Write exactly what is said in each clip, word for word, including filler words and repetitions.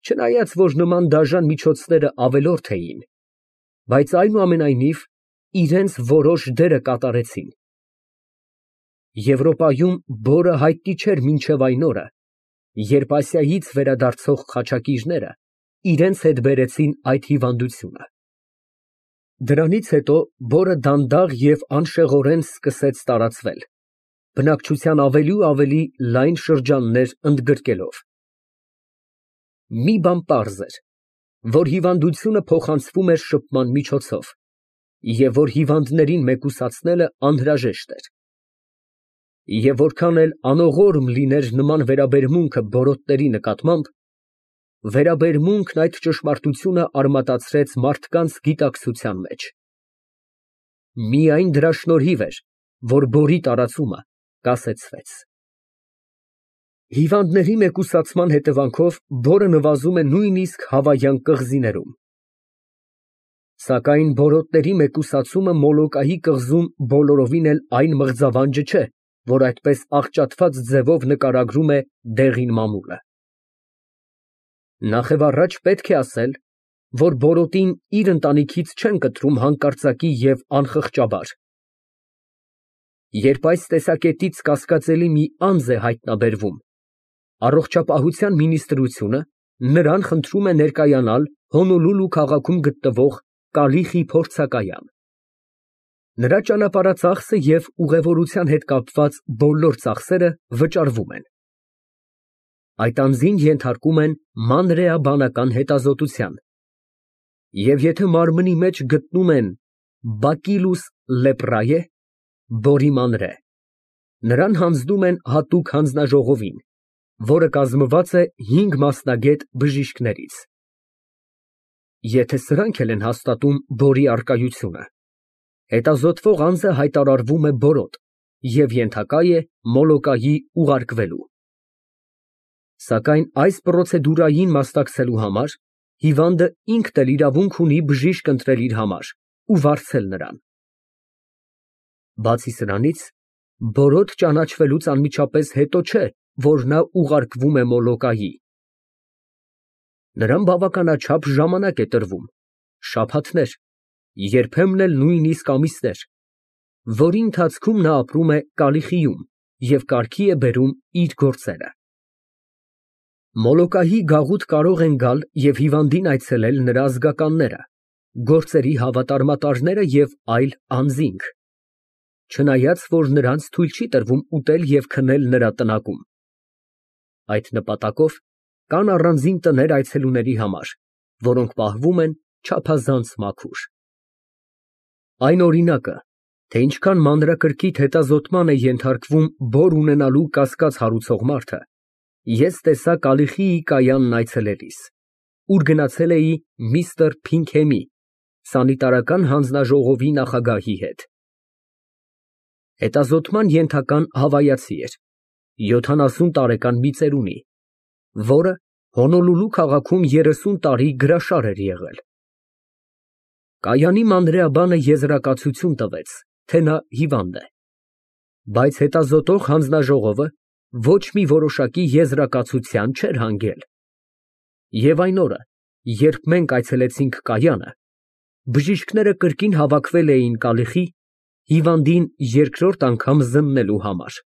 Չնայած որ նման դաժան միջոցները ավելորդ էին, բայց այնուամենայնիվ իրենց որոշ դերը կատարեցին։ Եվրոպայում բորը հայտնի չէր մինչև այն օրը, երբ Ասիայից վերադարձող խաչակիրները իրենց հետ բերեցին այդ հիվանդությունը։ Դրանից հետո բորը դանդաղ և անշեղորեն սկսեց տարածվել, բնակչության ավելի ու ավելի լայն շրջաններ ընդգրկելով։ Մի բան պարզ էր, որ հիվանդությունը փոխանցվում էր շփման միջոցով, և որ հիվանդներին մեկուսացնելը անհրաժեշտ էր։ Եվ որքան էլ անողորմ լիներ նման վերաբերմունքը բորոտների նկատմամբ, վերաբերմունքն այդ ճշմարտությունը արմատացրեց մարդկանց գիտակցության մեջ։ Միայն դրա շնորհիվ էր, որ բորի տարածումը կասեցվեց։ Հիվանդների մեկուսացման հետևանքով բորը նվազում է նույնիսկ հավայան կղզիներում։ Սակայն բորոտների մեկուսացումը Մոլոկայի կղզում բոլորովին էլ այն մղձավանջը չէ, որ այդպես աղճատված ձևով նկարագրում է դեղին մամուլը։ Նախևառաջ պետք է ասել, որ բորոտին իր ընտանիքից չեն կտրում հանկարծակի և անխղճաբար։ Երբ այս տեսակետից կասկածելի մի անձ է հայտնաբերվում, առողջապահության մինիստրությունը նրան խնդրում է ներկայանալ Հոնոլուլու քաղաքում գտնվող Կալիխի փորձակայան։ Նրա ճանապարհածախսը և ուղևորության հետ կապված բոլոր ծախսերը վճարվում են։ Այդ անձին ենթարկում են մանրէաբանական հետազոտության, և եթե մարմնի մեջ գտնում են բակիլուս լեպրայե (բորի մանրէ), նրան հանձնում են հատուկ հանձնաժողովին, որը կազմված է հինգ մասնագետ բժիշկներից։ Եթե սրանք էլ են հաստատում բորի առկայությունը, հետազոտվող անձը հայտարարվում է բորոտ և ենթակա է Մոլոկայի ուղարկվելու։ Սակայն այս պրոցեդուրային մասնակցելու համար հիվանդը ինքն էլ իրավունք ունի բժիշկ ընտրել իր համար ու վարձել նրան։ Բացի սրանից, բորոտ ճանաչվելուց անմիջապես հետո չէ, որ նա ուղարկվում է Մոլոկայի։ Նրան բավականաչափ ժամանակ է տրվում, շաբաթներ, երբեմն էլ նույնիսկ ամիսներ, որի ընթացքում նա ապրում է Կալիխիում և կարգի է բերում իր գործերը։ Մոլոկայի գաղութ կարող են գալ և հիվանդին այցելել նրա ազգականները, գործերի հավատարմատարները և այլ անձինք, չնայած որ նրանց թույլ չի տրվում ուտել և քնել նրա տնակում։ Այդ նպատակով կան առանձին տներ այցելուների համար, որոնք պահվում են չափազանց մաքուր։ Այն օրինակը, թե ինչքան մանրակրկիտ հետազոտման է ենթարկվում բոր ունենալու կասկած հարուցող մարդը, ես տեսա Կալիխիի կայանն այցելելիս, ուր գնացել էի միստր Փինքհեմի, սանիտարական հանձնաժողովի նախագահի հետ։ Հետազոտման ենթական հավայացի էր, յոթանասուն տարեկան մի ծերունի, որը Հոնոլուլու քաղաքում երեսուն տարի գրաշար էր եղել։ Կայանի մանրէաբանը եզրակացություն տվեց, թե նա հիվանդ է, բայց հետազոտող հանձնաժողովը ոչ մի որոշակի եզրակացության չէր հանգել։ Եվ այն օրը, երբ մենք այցելեցինք կայանը, բժիշկները կրկին հավաքվել էին Կալիխի հիվանդին երկրորդ անգամ զննելու համար։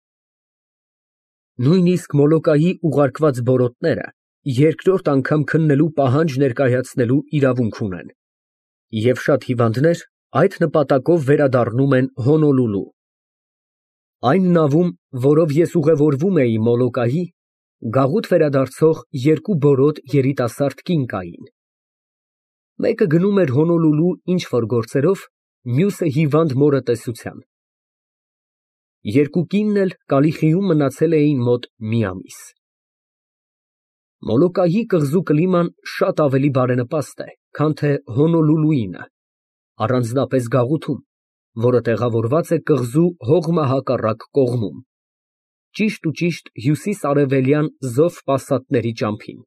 Նույնիսկ Մոլոկայի ուղարկված բորոտները երկրորդ անգամ քննելու պահանջ ներկայացնելու իրավունք ունեն, և շատ հիվանդներ այդ նպատակով վերադառնում են Հոնոլուլու։ Այն նավում, որով ես ուղևորվում էի Մոլոկայի, գաղութ վերադարձող երկու բորոտ երիտասարդ կին կային։ Մեկը գնում էր Հոնոլուլու ինչ֊որ գործերով, մյուսը հիվանդ մորը տեսության։ Երկու կինն էլ Կալիխիում մնացել էին մոտ մի ամիս։ Մոլոկայի կղզու կլիման շատ ավելի բարենպաստ է, քան թե Հոնոլուլուինը, առանձնապես գաղութում, որը տեղավորված է կղզու հողմահակառակ կողմում, ճիշտուճիշտ հյուսիս֊արևելյան զով պասատների ճամփին։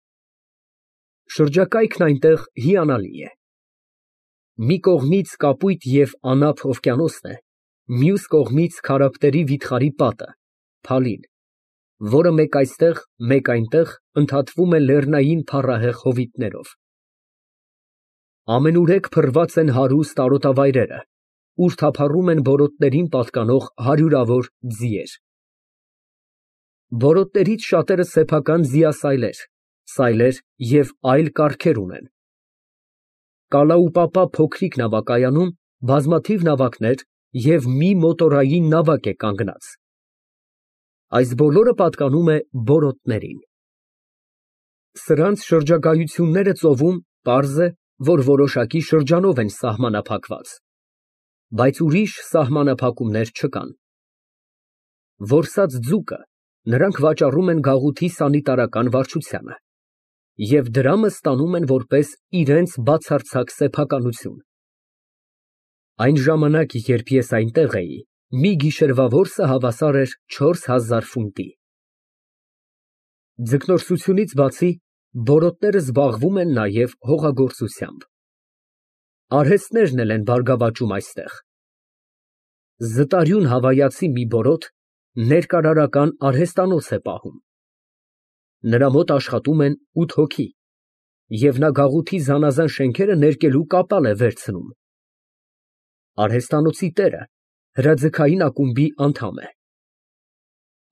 Շրջակայքն այնտեղ հիանալի է։ Մի կողմից կապույտ և անափ օվկիանոսն է, մյուս կողմից քարափտերի վիթխարի պատը, Փալին, որը մեկ այստեղ, մեկ այնտեղ ընդհատվում է լեռնային փառահեղ հովիտներով։ Ամենուրեք փռված են հարուստ արոտավայրերը, ուր թափառում են բորոտներին պատկանող հարյուրավոր ձիեր։ Բորոտներից շատերը սեփական ձիասայլեր, սայլեր և այլ կառքեր ունեն։ Կալաուպապա փոքրիկ նավակայանում բազմաթիվ նավակներ և մի մոտորային նավակ է կանգնած։ Այս բոլորը պատկանում է բորոտներին։ Սրանց շրջագայությունները ծովում պարզ է, որ որոշակի շրջանով են սահմանափակված, բայց ուրիշ սահմանափակումներ չկան։ Որսած ձուկը նրանք վաճառում են գաղութի սանիտարական վարչությանը և դրամը ստանում են որպես իրենց բացարձակ սեփականություն։ Այն ժամանակ, երբ ես այնտեղ էի, մի գիշերվա որսը հավասար էր չորս հազար ֆունտի։ Ձկնորսությունից բացի, բորոտները զբաղվում են նաև հողագործությամբ։ Արհեստներն էլ են բարգավաճում այստեղ։ Զտարյուն հավայացի մի բորոտ ներկարարական արհեստանոց է պահում։ Նրա մոտ աշխատում են ութ հոգի, և նա գաղութի զանազան շենքերը ներկելու կապալ է վերցնում։ Արհեստանոցի տերը հրաձգային ակումբի անդամ է։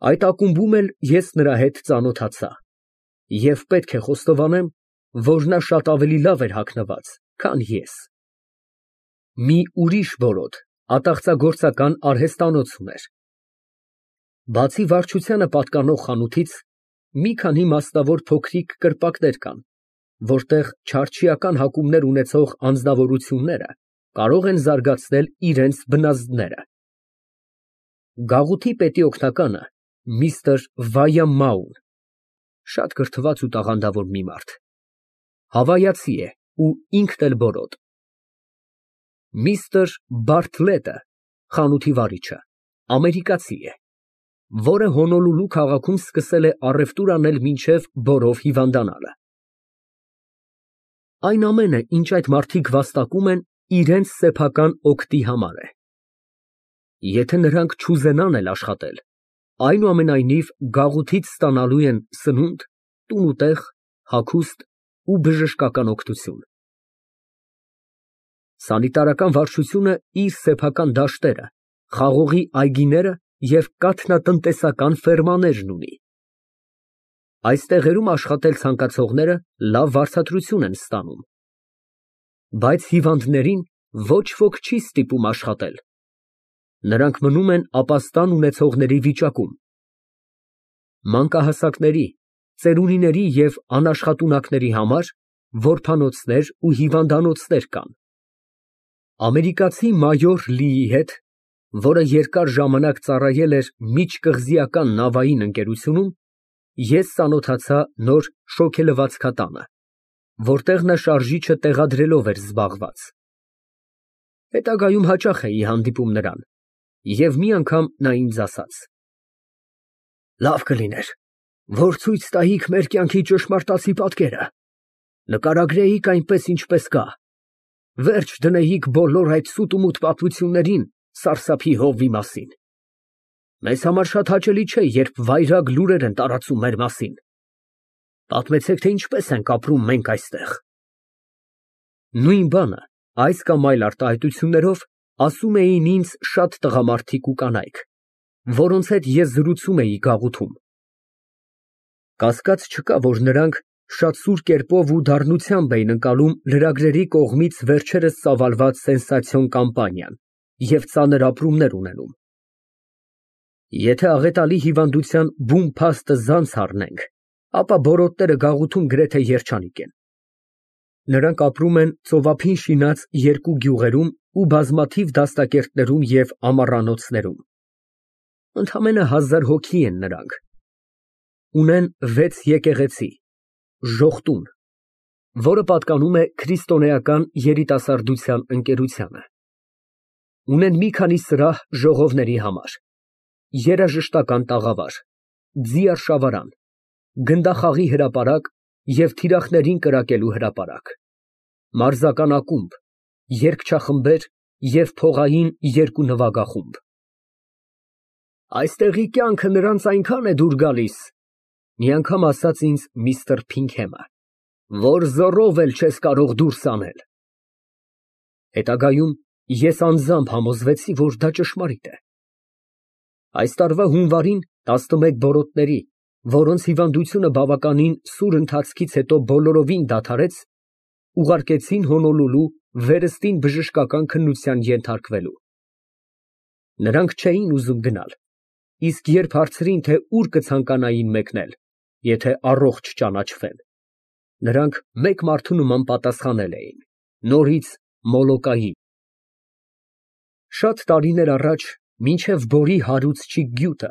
Այդ ակումբում էլ ես նրա հետ ծանոթացա և պետք է խոստովանեմ, որ նա շատ ավելի լավ էր հագնված, քան ես։ Մի ուրիշ բորոտ ատաղծագործական արհեստանոց ուներ։ Բացի վարչությանը պատկանող խանութից, մի քանի մասնավոր փոքրիկ կրպակներ կան, որտեղ չարչիական հակումներ ունեցող անձնավորությունները կարող են զարգացնել իրենց բնազդները։ Գաղութի պետի օգնականը միստր Վայամմաուն (շատ կրթված ու տաղանդավոր մի մարդ) հավայացի է ու ինքն էլ բորոտ։ Միստր Բարթլետը (խանութի վարիչը) ամերիկացի է, որը Հոնոլուլու քաղաքում սկսել է առևտուր անել մինչև բորով հիվանդանալը։ Այն ամենը, ինչ այդ մարդիկ վաստակում են, իրենց սեփական օգտի համար է։ Եթե նրանք չուզենան էլ աշխատել, այնուամենայնիվ գաղութից ստանալու են սնունդ, տուն ու տեղ, հագուստ ու բժշկական օգնություն։ Սանիտարական վարչությունը իր սեփական դաշտերը, խաղողի այգիները և կաթնատնտեսական ֆերմաներն ունի։ Այս տեղերում աշխատել ցանկացողները լավ վարձատրություն են ստանում։ Բայց հիվանդներին ոչ ոք չի ստիպում աշխատել։ Նրանք մնում են ապաստան ունեցողների վիճակում։ Մանկահասակների, ծերունիների և անաշխատունակների համար որբանոցներ ու հիվանդանոցներ կան։ Ամերիկացի մայոր Լիի հետ, որը երկար ժամանակ ծառայել էր միջկղզիական նավային ընկերությունում, ես ծանոթացա նոր շոգելվածքատանը, որտեղ նա շարժիչը տեղադրելով էր զբաղված։ Հետագայում հաճախ էի հանդիպում նրան, և մի անգամ նա ինձ ասաց. «Լավ կլիներ, որ ցույց տայիք մեր կյանքի ճշմարտացի պատկերը, նկարագրեիք այնպես, ինչպես կա, վերջ դնեիք բոլոր այդ սուտ ու մութ պատմություններին սարսափի հովվի մասին։ Մեզ համար շատ հաճելի չէ, երբ վայրագ լուրեր են տարածում մեր մասին։ Պատմեցեք, թե ինչպես ենք ապրում մենք այստեղ»։ Նույն բանը այս կամ այլ արտահայտություններով ասում էին ինձ շատ տղամարդիկ ու կանայք, որոնց հետ ես զրուցում էի գաղութում։ Կասկած չկա, որ նրանք շատ սուր կերպով ու դառնությամբ էին ընկալում լրագրերի կողմից վերջերս ծավալված սենսացիոն կամպանիան և ծանր ապրումներ ունենում։ Եթե աղետալի հիվանդության բուն փաստը զանց առնենք, ապա բորոտները գաղութում գրեթե երջանիկ են։ Նրանք ապրում են ծովափին շինած երկու գյուղերում ու բազմաթիվ դաստակերտներում և ամառանոցներում։ Ընդամենը հազար հոգի են նրանք։ Ունեն վեց եկեղեցի, ժողտուն, որը պատկանում է քրիստոնեական երիտասարդության ընկերությանը։ Ունեն մի քանի սրահ ժողովների համար, երաժշտական տաղավար, ձիարշավարան, գնդախաղի հրապարակ և թիրախներին կրակելու հրապարակ, մարզական ակումբ, երգչախմբեր և փողային երկու նվագախումբ։ Այստեղի կյանքը նրանց այնքան է դուր գալիս, մի անգամ ասաց ինձ միստր Փինքհեմը, որ զոռով էլ չես կարող դուրս անել։ Հետագայում ես անձամբ համոզվեցի, որ դա ճշմարիտ է։ Այս տարվա հունվարին տասնմեկ բորոտների, որոնց հիվանդությունը բավականին սուր ընթացքից հետո բոլորովին դադարեց, ուղարկեցին Հոնոլուլու վերստին բժշկական քննության ենթարկվելու։ Նրանք չէին ուզում գնալ, իսկ երբ հարցրին, թե ուր կցանկանային մեկնել, եթե առողջ ճանաչվեն, նրանք մեկ մարդու նման պատասխանել էին. նորից Մոլոկայի։ Շատ տարիներ առաջ, մինչև Բորի հարուցչի գյուտը,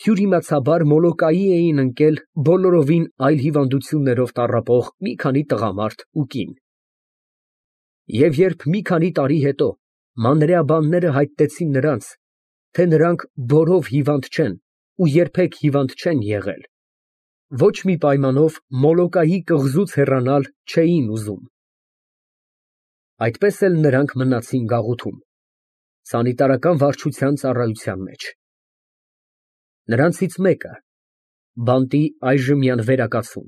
թյուրիմացաբար Մոլոկայի էին ընկել բոլորովին այլ հիվանդություններով տառապող մի քանի տղամարդ ու կին։ Եվ երբ մի քանի տարի հետո մանրեաբանները հայտնեցին նրանց, թե նրանք բորով հիվանդ չեն ու երբեք հիվանդ չեն եղել, ոչ մի պայմանով Մոլոկայի կղզուց հեռանալ չէին ուզում։ Այդպես էլ նրանք մնացին գաղութում, սանիտարական վարչության ծառայության մեջ։ Նրանցից մեկը, բանտի այժմյան վերակացուն,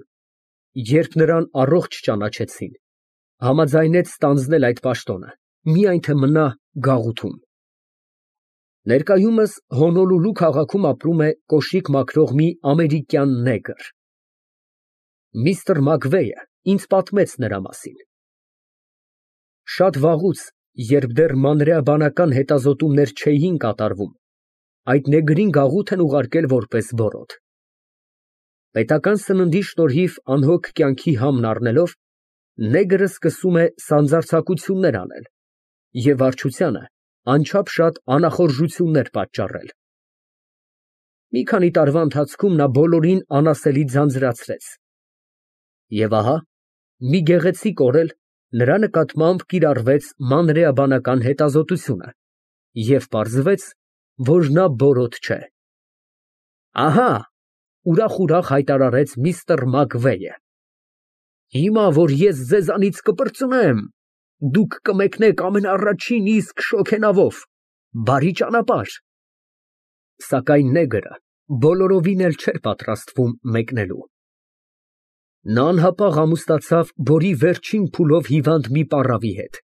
երբ նրան առողջ ճանաչեցին, համաձայնեց ստանձնել այդ պաշտոնը, միայն թե մնա գաղութում։ Ներկայումս Հոնոլուլու քաղաքում ապրում է կոշիկ մաքրող մի ամերիկյան նեգր։ Միստր Մակվեյը ինձ պատմեց նրա մասին։ Շատ վաղուց, երբ դեռ մանրեաբանական հետազոտումներ չէին կատարվում, այդ նեգրին գաղութ են ուղարկել որպես բորոդ։ Պետական սննդի շնորհիվ անհոգ կյանքի համն առնելով, նեգրը սկսում է սանձարձակություններ անել և վարչությանը անչափ շատ անախորժություններ պատճառել։ Մի քանի տարվա ընթացքում նա բոլորին անասելի ձանձրացրեց։ Եվ ահա, մի գեղեցիկ օրել նրա նկատմամբ կիրառվեց մանրեաբանական հետազոտությունը, և պարզվեց, որ նա բորոդ չէ։ Ահա, ուրախ֊ուրախ հայտարարեց միստր Մակվեյը, հիմա, որ ես ձեզանից կպրծնեմ, դուք կմեկնեք ամենաառաջին իսկ շոգենավով, բարի ճանապարհ։ Սակայն նեգրը բոլորովին էլ չէր պատրաստվում մեկնելու։ Նա անհապաղ ամուսնացավ Բորի վերջին փուլով հիվանդ մի պառավի հետ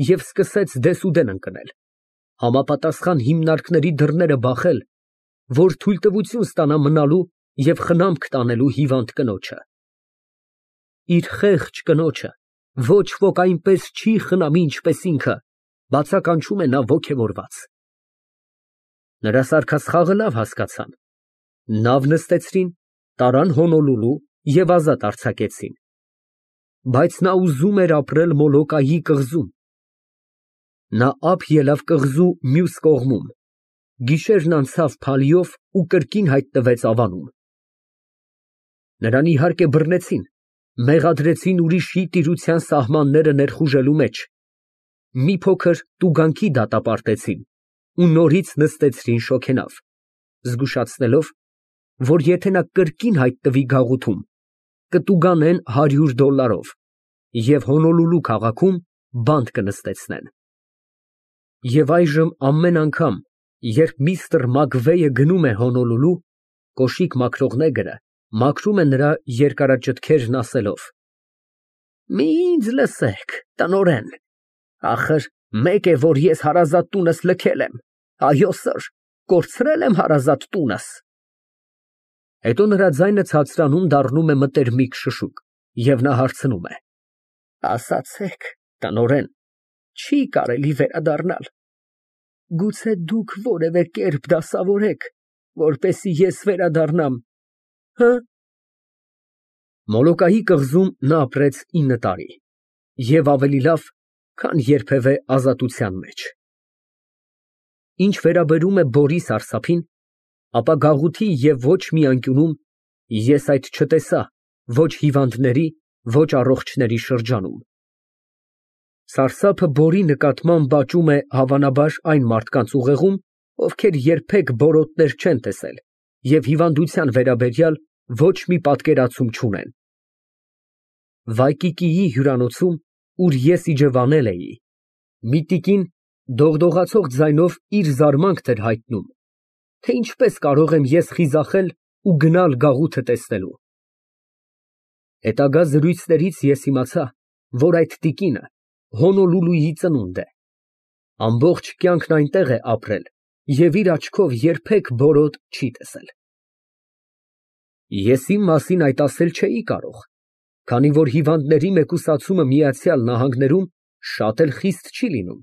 և սկսեց դեսուդեն ընկնել, համապատասխան հիմնարկների դռները բախել, որ թույլտվություն ստանա մնալու և խնամք տանելու հիվանդ կնոջը։ Իր խեղճ կնոջը ոչ ոք այնպես չի խնամի, ինչպես ինքը, բացականչում է նա ոգևորված։ Նրա սարքասխաղը լավ հասկացան, նավ նստեցրին, տարան Հոնոլուլու և ազատ արձակեցին։ Բայց նա ուզում էր ապրել Մոլոկայի կղզում։ Նա ափ ելավ կղզու մյուս կողմում, գիշերն անցավ փալիով ու կրկին հայտնվեց Ավանում։ Նրան իհարկե բռնեցին, մեղադրեցին ուրիշի տիրության սահմանները ներխուժելու մեջ, մի փոքր տուգանքի դատապարտեցին ու նորից նստեցրին շոգենավ, զգուշացնելով, որ եթե նա կրկին հայտնվի գաղութում, կտուգանեն հարյուր դոլարով և Հոնոլուլու քաղաքում բանտ կնստեցնեն։ Եվ այժմ ամեն անգամ, երբ միստր Մակվեյը գնում է Հոնոլուլու, կոշիկ մաքրող նեգրը մաքրում է նրա երկարաճտքերն ասելով. «Մի ինձ լսեք, տնօրեն, ախր մեկ է, որ ես հարազատ տունս լքել եմ, այո սըր, կորցրել եմ հարազատ տունս»։ Հետո նրա ձայնը ցածրանում դառնում է մտերմիկ շշուկ, և նա հարցնում է. «Ասացեք, տնօրեն, չի կարելի վերադառնալ, գուցե դուք որևէ կերպ դասավորեք, որպեսզի ես վերադառնամ, հը»։ Մոլոկայի կղզում նա ապրեց ինը տարի և ավելի լավ, քան երբևէ ազատության մեջ։ Ինչ վերաբերում է Բորի սարսափին, ապա գաղութի և ոչ մի անկյունում ես այդ չտեսա ոչ հիվանդների, ոչ առողջների շրջանում։ Սարսափը Բորի նկատմամբ աճում է հավանաբար այն մարդկանց ուղեղում, ովքեր երբեք բորոտներ չեն տեսել և հիվանդության վերաբերյալ ոչ մի պատկերացում չունեն։ Վայկիկիի հյուրանոցում, ուր ես իջևանել էի, մի տիկին դողդողացող ձայնով իր զարմանքն էր հայտնում, թե ինչպես կարող եմ ես խիզախել ու գնալ գաղութը տեսնելու։ Հետագա զրույցներից ես իմացա, որ այդ տիկինը Հոնոլուլուի ծնունդ է, ամբողջ կյանքն այնտեղ է ապրել և իր աչքով երբեք բորոտ չի տեսել։ Ես իմ մասին այդ ասել չէի կարող, քանի որ հիվանդների մեկուսացումը Միացյալ Նահանգներում շատ էլ խիստ չի լինում,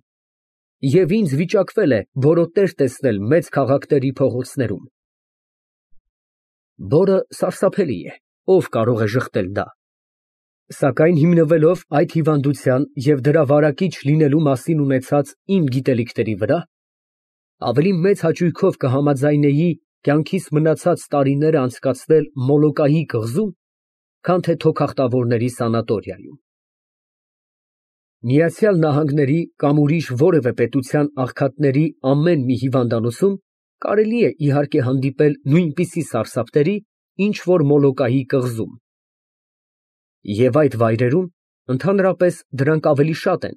և ինձ վիճակվել է բորոտներ տեսնել մեծ քաղաքների փողոցներում։ Բորը սարսափելի է, ով կարող է ժխտել դա։ Սակայն հիմնվելով այդ հիվանդության և դրա վարակիչ լինելու մասին ունեցած իմ գիտելիքների վրա, ավելի մեծ հաճույքով կհամաձայնեի կյանքիս մնացած տարիները անցկացնել Մոլոկայի կղզում, քան թե թոքախտավորների սանատորիայում։ Միացյալ Նահանգների կամ ուրիշ որևէ պետության աղքատների ամեն մի հիվանդանոցում կարելի է իհարկե հանդիպել նույնպիսի սարսափների, ինչ որ Մոլոկայի կղզում, և այդ վայրերում ընդհանրապես դրանք ավելի շատ են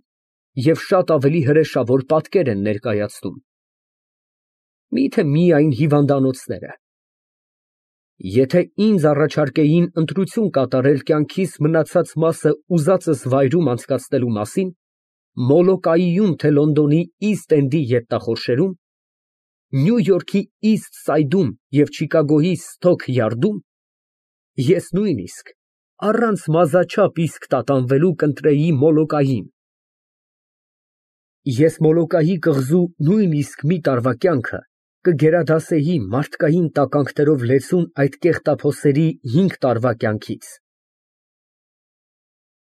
և շատ ավելի հրեշավոր պատկեր են ներկայացնում։ Միթե միայն հիվանդանոցները։ Եթե ինձ առաջարկեին ընտրություն կատարել կյանքիս մնացած մասը ուզածս վայրում անցկացնելու մասին, Մոլոկայիում թե Լոնդոնի Իստ Էնդի գետնախորշերում, Նյու Յորքի Իստ Սայդում և Չիկագոյի Սթոք Յարդում, ես նույնիսկ առանց մազաչափ իսկ տատանվելու կընտրեի Մոլոկային։ Ես Մոլոկայի կղզու նույնիսկ մի տարվա կյանքը կգերադասեի մարդկային տականքներով լեցուն այդ կեղտափոսերի հինգ տարվա կյանքից։